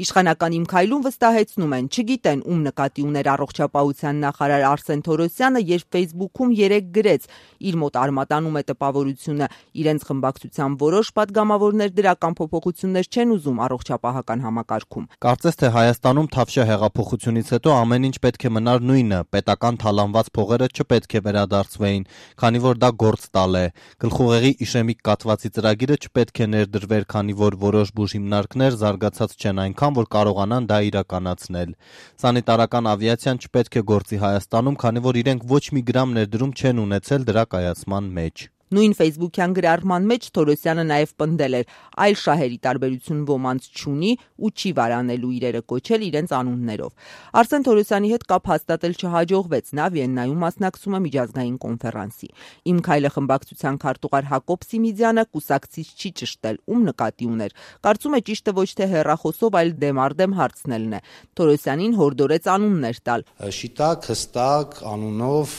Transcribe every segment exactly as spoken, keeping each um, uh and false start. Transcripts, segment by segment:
Իշխանական իմ քայլում վստահեցնում են, չգիտեն ում նկատի ուներ առողջապահության նախարար Արսեն Թորոսյանը, երբ Facebook-ում երեկ գրեց. իր մոտ արմատանում է տպավորությունը, իրենց խմբակցության որոշ պատգամավորներ դրական փոփոխություններ չեն ուզում առողջապահական համակարգում։ Կարծես թե Հայաստանում Թավշյա հեղափոխությունից հետո ամեն ինչ պետք է մնար նույնը, պետական թալանված փողերը չպետք է վերադարձվեին, քանի որ դա գործ տալ է։ Գլխուղեղի իշեմիկ կաթվածի ծրագիրը չպետք է ներդրվեր, քանի որ որոշ բուժհիմնարկներ զարգացած չեն այնքան, որ կարողանան դա իրականացնել։ Սանիտարական ավիացիան չպետք է գործի Հայաստանում, քանի որ իրենք ոչ մի գրամ ներդրում չեն ունեցել դրա կայացման մեջ։ Նույն Facebook-յան գրառման մեջ Թորոսյանը նաև պնդել էր, այլ շահերի տարբերություն ոմանց չունի ու չի վարանելու իրերը կոչել իրենց անուններով։ Արսեն Թորոսյանի հետ կապ հաստատել չհաջողվեց, նա Վիեննայում մասնակցում է միջազգային կոնֆերանսի։ Իմ քայլը խմբակցության քարտուղար Հակոբ Սիմիձյանը կուսակցից չի ճշտել, ում նկատի ուներ։ Կարծում է ճիշտը ոչ թե հեռախոսով, այլ դեմառդեմ հարցնելն է։ Թորոսյանին հորդորեց անուններ տալ։ Շիտակ, հստակ, անունով,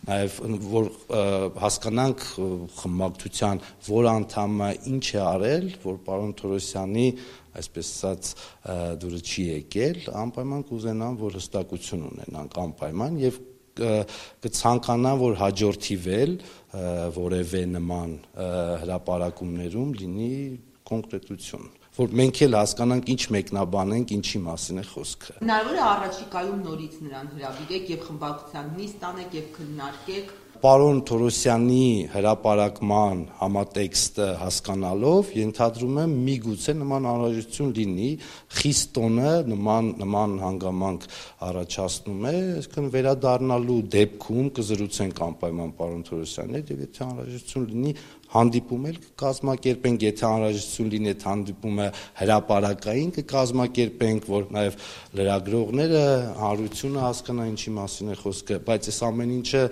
նաև որ հասկանանք խմբակցության որ անդամը ինչ է արել, որ պարոն Թորոսյանի այսպես ասած դուրը չի եկել, անպայման կուզենամ, որ հստակություն ունենանք անպայման եւ կցանկանամ, որ հաջորդիվել որևէ նման հրապարակումներում լինի կոնկրետություն, որ մենք էլ հասկանանք ինչ մեկնաբանենք, ինչի մասին է խոսքը։ Հնարավոր է առաջիկայում նորից նրան հրավիրեք եւ խմբակցության նիստ անեք եւ քննարկեք։ Պարոն Թորոսյանի հրապարակման համատեքստը հասկանալով ենթադրում եմ միգուցե նման անհրաժեշտություն լինի, խիստ տոնը նման նման հանգամանք առաջացնում է, այսինքն վերադառնալու դեպքում կզրուցենք անպայման պարոն Թորոսյանի հետ եւ եթե անհրաժեշտություն լինի հանդիպում էլ կկազմակերպենք, եթե անհրաժեշտություն լինի այդ հանդիպումը հրապարակային կկազմակերպենք, որ նաև լրագրողները հանրությունը հասկանա ինչի մասին է խոսքը, բայց այս ամեն ինչը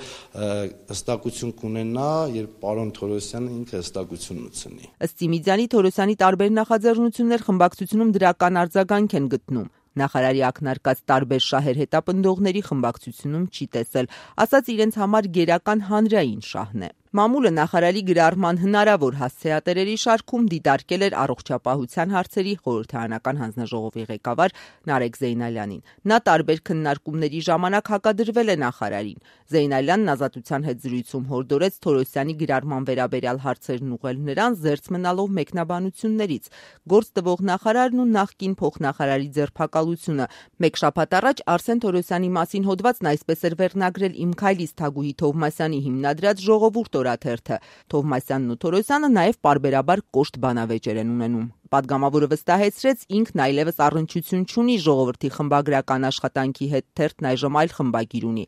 հստակություն կունենա, երբ պարոն Թորոսյանը ինքը հստակություն ունեցնի։ Ըստ Սիմիձյանի, Թորոսյանի տարբեր նախաձեռնություններ խմբակցությունում դրական արձագանք են գտնում։ Նախարարի ակնարկած տարբեր շահեր հետապնդողների խմբակցությունում չի տեսել, ասաց իրենց համար գերական հանրային շահն է։ Մամուլը նախարարի գրառման հնարավոր հասցեատերերի շարքում դիտարկել էր առողջապահության հարցերի խորհրդարանական հանձնաժողովի ղեկավար Նարեկ Զեյնալյանին։ Նա տարբեր քննարկումների ժամանակ հակադրվել է նախարարին։ Զեյնալյանն Ազատության հետ զրույցում հորդորեց Թորոսյանի գրառման վերաբերյալ հարցերն ուղղել նրան, զերծ մնալով մեկնաբանություններից։ Գործ տվող նախարարն ու նախկին փոխնախարարի ձերբակալությունը։ Մեկ շաբաթ առաջ Արսեն Թորոսյանի մասին հոդվածն այսպես էր վերնագրել Իմ քայլից Թագուհի Թովմասյանի հիմնադրած ժողովուրդ օրաթերթը։ Թովմասյանն ու Թորոսյանը նաև պարբերաբար կոշտ բանավեճեր են ունենում։ Պատգամավորը վստահեցրեց, ինքն այլևս առնչություն չունի ժողովրդի խմբագրական աշխատանքի հետ, թերթն այժմ այլ խմբագիր ունի։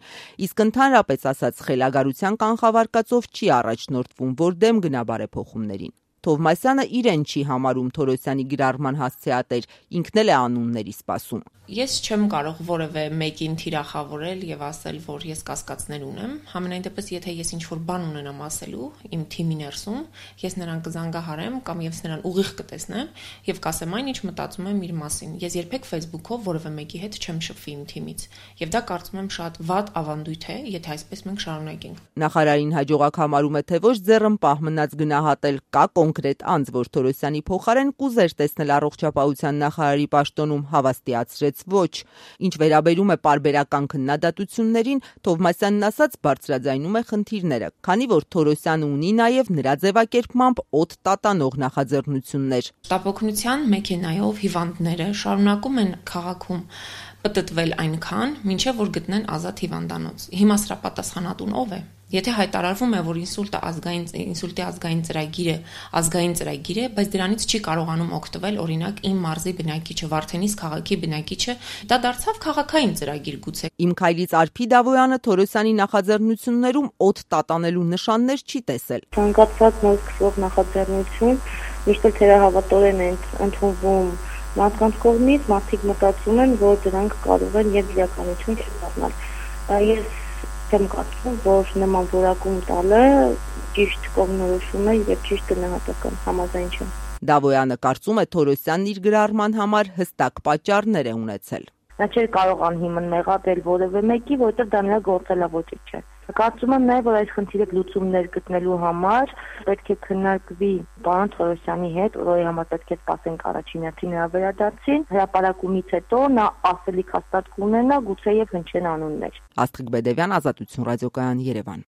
Իսկ ընդհանրապես ասած, խելագարության կանխավարկածով չի առաջնորդվում, որ դեմ գնա բարեփոխումներին։ Թովմասյանը իրեն չի համարում Թորոսյանի գրառման հասցեատեր, ինքն էլ է անունների սպասում։ Ես չեմ կարող որևէ մեկին թիրախավորել եւ ասել, որ ես կասկածներ ունեմ։ Համենայն դեպս, եթե ես ինչ-որ բան ունենամ ասելու իմ թիմի ներսում, ես նրան կզանգահարեմ կամ ես նրան ուղիղ կտեսնեմ եւ կասեմ այն, ինչ մտածում եմ իր մասին։ Ես երբեք Facebook-ով որևէ մեկի հետ չեմ շփվի իմ թիմից։ Եվ դա կարծում եմ շատ վատ ավանդույթ է, եթե այսպես մենք շարունակենք։ Նախարարին հաջողակ համարում է թե ոչ ձեռնպահ մնաց գնահատել, կա կոնկրետ անձ, որ Թորոսյանի փոխարեն կուզեր տեսնել առողջապահության նախարարի պաշտոնում, հավաստիացրեց ոչ։ Ինչ վերաբերում է պարբերական քննադատություններին, Թովմասյանն ասաց բարձրաձայնում է խնդիրները, քանի որ Թորոսյանը ունի նաև նրա ձևակերպմամբ օդ տատանող նախաձեռնություններ։ Շտապօգնության մեքենայով հիվանդները շարունակում են քաղաքում պտտվել այնքան, մինչև որ գտնեն ազատ հիվանդանոց։ Հիմա սրա պատասխանատուն ով է։ Եթե հայտարարվում է, որ ինսուլտը ազգային ինսուլտի ազգային ծրագիրը ազգային ծրագիր է, բայց դրանից չի կարողանում օգտվել օրինակ իմ մարզի բնակիչը, Վարդենիս քաղաքի բնակիչը, դա դարձավ քաղաքային ծրագիր գուցե։ Իմ քայլից Արփի Դավոյանը Թորոսյանի նախաձեռնություններում օդ տատանելու նշաններ չի տեսել։ Ցանկացած նոր սկսող նախաձեռնություն միշտ թերահավատորեն են ընդունվում մարդկանց կողմից, մարդիկ մտածում են, որ դրանք կարող են եւ իրականություն չդառնալ։ Ես եմ կարծում, որ նման որակում տալը ճիշտ կողմնորոշում է եւ ճիշտ գնահատական համաձայն չեմ։ Դավոյանը կարծում է Թորոսյանն իր գրառման համար հստակ պատճառներ է ունեցել։ Նա չէր կարող անհիմն մեղադրել որևէ մեկի, որովհետեւ դա նրա գործելավոճը չէ։ Կարծում եմ նաև, որ այս խնդիրը լուծումներ գտնելու համար պետք է քննարկվի պարոն Թորոսյանի հետ, որի համար պետք է սպասենք առաջին հերթին նրա վերադարձին, հրապարակումից հետո նա ասելիք հաստատ կունենա, գուցե եւ հնչեն անուններ։ Աստղիկ Բեդևյան, Ազատություն ռադիոկայան, Երևան։